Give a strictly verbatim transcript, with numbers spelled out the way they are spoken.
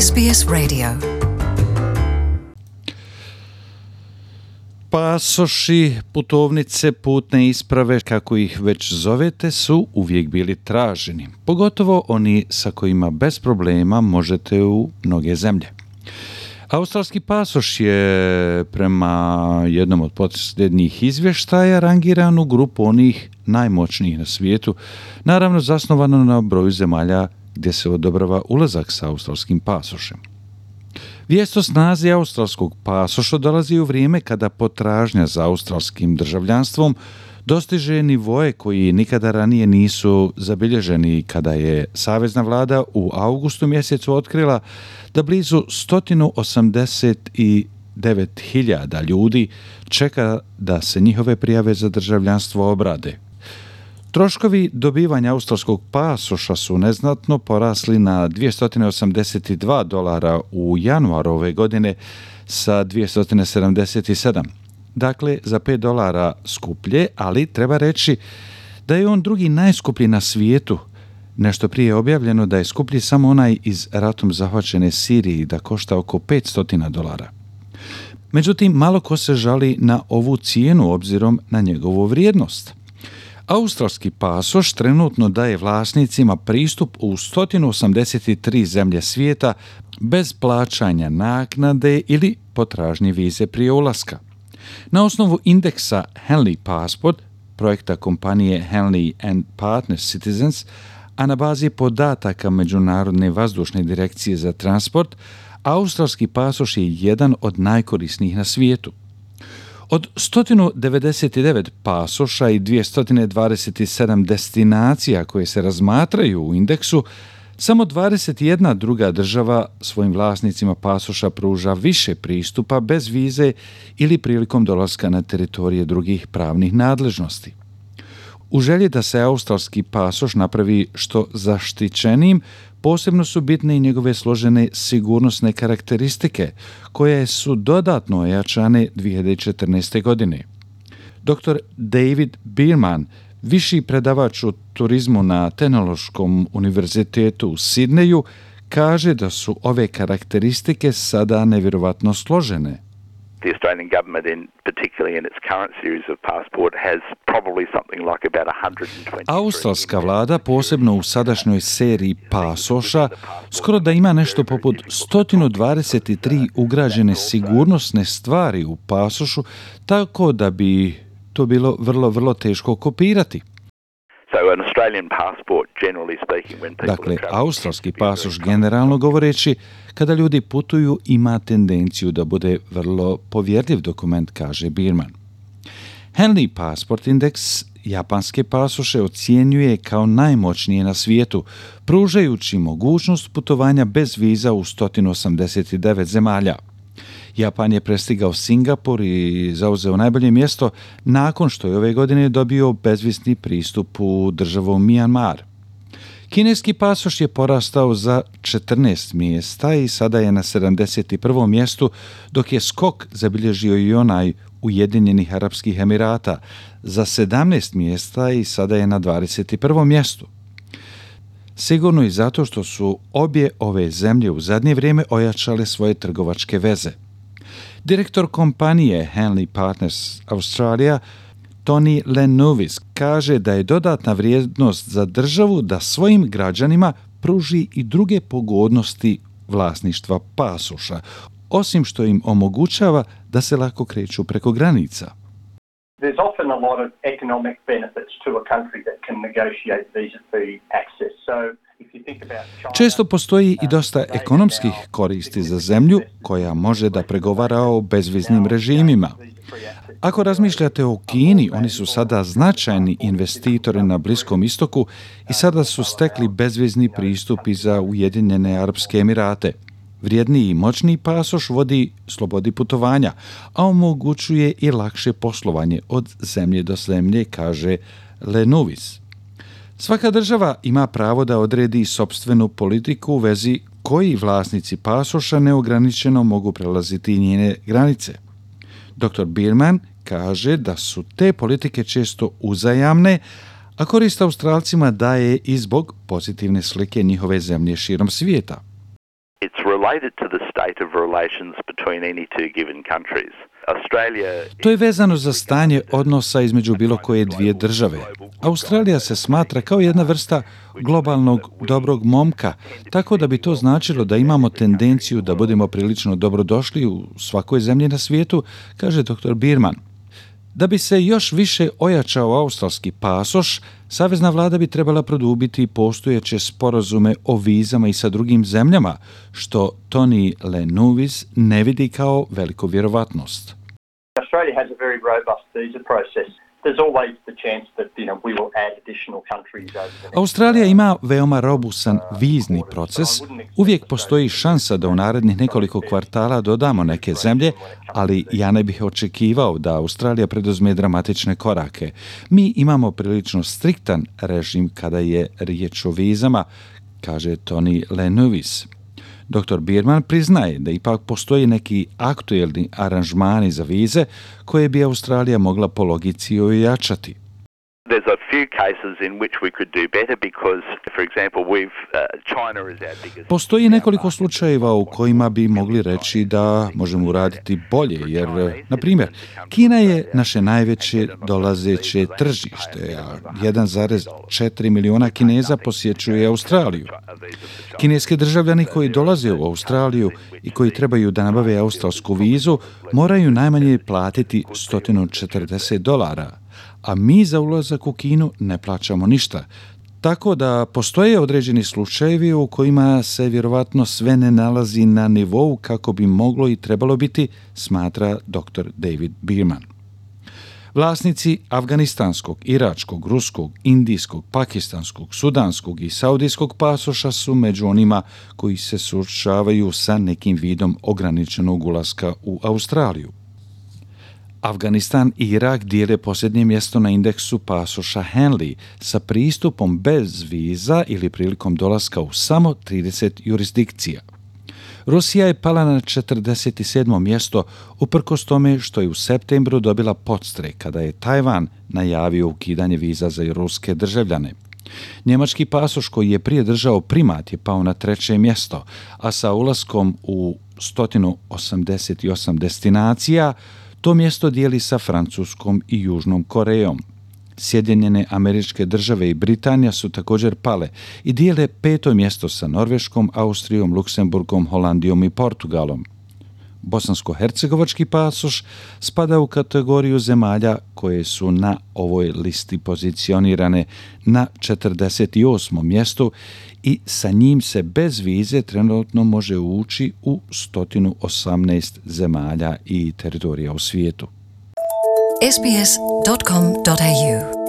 S B S Radio. Pasoši, putovnice, putne isprave, kako ih već zovete, su uvijek bili traženi. Pogotovo oni sa kojima bez problema možete u mnoge zemlje. Australski pasoš je prema jednom od posljednjih izvještaja rangiran u grupu onih najmoćnijih na svijetu, naravno zasnovano na broju zemalja gdje se odobrava ulazak sa australskim pasošem. Vijest o snazi australskog pasoša dolazi u vrijeme kada potražnja za australskim državljanstvom dostiže nivoe koji nikada ranije nisu zabilježeni, kada je savezna vlada u augustu mjesecu otkrila da blizu sto osamdeset devet hiljada ljudi čeka da se njihove prijave za državljanstvo obrade. Troškovi dobivanja australskog pasoša su neznatno porasli na dvjesto osamdeset dva dolara u januaru ove godine sa dvjesto sedamdeset sedam. Dakle, za pet dolara skuplje, ali treba reći da je on drugi najskuplji na svijetu. Nešto prije je objavljeno da je skuplji samo onaj iz ratom zahvaćene Siriji, da košta oko petsto dolara. Međutim, malo ko se žali na ovu cijenu obzirom na njegovu vrijednost. Australski pasoš trenutno daje vlasnicima pristup u sto osamdeset tri zemlje svijeta bez plaćanja naknade ili potražnje vize prije ulaska. Na osnovu indeksa Henley Passport, projekta kompanije Henley and Partners Citizens, a na bazi podataka Međunarodne vazdušne direkcije za transport, australski pasoš je jedan od najkorisnijih na svijetu. Od sto devedeset devet pasoša i dvjesto dvadeset sedam destinacija koje se razmatraju u indeksu, samo dvadeset jedna druga država svojim vlasnicima pasoša pruža više pristupa bez vize ili prilikom dolaska na teritorije drugih pravnih nadležnosti. U želji da se australski pasoš napravi što zaštićenijim, posebno su bitne i njegove složene sigurnosne karakteristike, koje su dodatno ojačane dvije hiljade četrnaeste. godine. doktor David Bierman, viši predavač u turizmu na Tehnološkom univerzitetu u Sidneju, kaže da su ove karakteristike sada nevjerovatno složene. The Australian government, in particularly in its current series of passport, has probably something like about one hundred twenty. Australska vlada, posebno u sadašnjoj seriji pasoša, skoro da ima nešto poput sto dvadeset tri ugrađene sigurnosne stvari u pasošu, tako da bi to bilo vrlo, vrlo teško kopirati. Dakle, australski pasoš, generalno govoreći, kada ljudi putuju, ima tendenciju da bude vrlo povjerljiv dokument, kaže Bierman. Henley Passport Index japanske pasoše ocjenjuje kao najmoćnije na svijetu, pružajući mogućnost putovanja bez viza u sto osamdeset devet zemalja. Japan je prestigao Singapur i zauzeo najbolje mjesto nakon što je ove godine dobio bezvizni pristup u državu Myanmar. Kineski pasoš je porastao za četrnaest mjesta i sada je na sedamdeset prvom mjestu, dok je skok zabilježio i onaj Ujedinjenih Arapskih Emirata za sedamnaest mjesta i sada je na dvadeset prvom mjestu. Sigurno i zato što su obje ove zemlje u zadnje vrijeme ojačale svoje trgovačke veze. Direktor kompanije Henley Partners Australia, Tony Lenovis, kaže da je dodatna vrijednost za državu da svojim građanima pruži i druge pogodnosti vlasništva pasoša, osim što im omogućava da se lako kreću preko granica. There's often a lot of economic benefits to a country that can negotiate visa-free access. So Često postoji i dosta ekonomskih koristi za zemlju koja može da pregovara o bezviznim režimima. Ako razmišljate o Kini, oni su sada značajni investitori na Bliskom istoku i sada su stekli bezvizni pristup i za Ujedinjene Arapske Emirate. Vrijedniji i moćniji pasoš vodi slobodi putovanja, a omogućuje i lakše poslovanje od zemlje do zemlje, kaže Lenovis. Svaka država ima pravo da odredi sopstvenu politiku u vezi koji vlasnici pasoša neograničeno mogu prelaziti njene granice. doktor Bierman kaže da su te politike često uzajamne, a korist Australcima daje i zbog pozitivne slike njihove zemlje širom svijeta. It's related to the state of relations between any two given countries. Australia... To je vezano za stanje odnosa između bilo koje dvije države. Australija se smatra kao jedna vrsta globalnog dobrog momka, tako da bi to značilo da imamo tendenciju da budemo prilično dobrodošli u svakoj zemlji na svijetu, kaže doktor Bierman. Da bi se još više ojačao australski pasoš, savezna vlada bi trebala produbiti postojeće sporazume o vizama i sa drugim zemljama, što Tony Lenouvis ne vidi kao veliku vjerovatnost. Australia has a very robust visa process. There's always the chance that, you know, we will add additional countries over the next... Australija ima veoma robusan vizni proces. Uvijek postoji šansa da u narednih nekoliko kvartala dodamo neke zemlje, ali ja ne bih očekivao da Australija preduzme dramatične korake. Mi imamo prilično striktan režim kada je riječ o vizama, kaže Tony Lenouvis. doktor Bierman priznaje da ipak postoji neki aktuelni aranžmani za vize koje bi Australija mogla po logici ojačati. There's a few cases in which we could do better because, for example, we've uh, China is our biggest... Postoji nekoliko slučajeva u kojima bi mogli reći da možemo uraditi bolje, jer, na primjer, Kina je naše najveće dolazeće tržište, a jedan zarez četiri milijuna Kineza posjećuje Australiju. Kineski državljani koji dolaze u Australiju i koji trebaju da nabave australsku vizu moraju najmanje platiti sto četrdeset dolara, a mi za ulazak u Kinu ne plaćamo ništa. Tako da postoje određeni slučajevi u kojima se vjerovatno sve ne nalazi na nivou kako bi moglo i trebalo biti, smatra doktor David Bierman. Vlasnici afganistanskog, iračkog, ruskog, indijskog, pakistanskog, sudanskog i saudijskog pasoša su među onima koji se suočavaju sa nekim vidom ograničenog ulaska u Australiju. Afganistan i Irak dijele posljednje mjesto na indeksu pasoša Henley sa pristupom bez viza ili prilikom dolaska u samo trideset jurisdikcija. Rusija je pala na četrdeset sedmo mjesto uprkos tome što je u septembru dobila podstrek kada je Tajvan najavio ukidanje viza za ruske državljane. Njemački pasoš koji je prije držao primat je pao na treće mjesto, a sa ulaskom u sto osamdeset osam destinacija to mjesto dijeli sa Francuskom i Južnom Korejom. Sjedinjene Američke Države i Britanija su također pale i dijele peto mjesto sa Norveškom, Austrijom, Luksemburgom, Holandijom i Portugalom. Bosansko-hercegovački pasoš spada u kategoriju zemalja koje su na ovoj listi pozicionirane na četrdeset osmom mjestu i sa njim se bez vize trenutno može ući u sto osamnaest zemalja i teritorija u svijetu. s b s dot com dot a u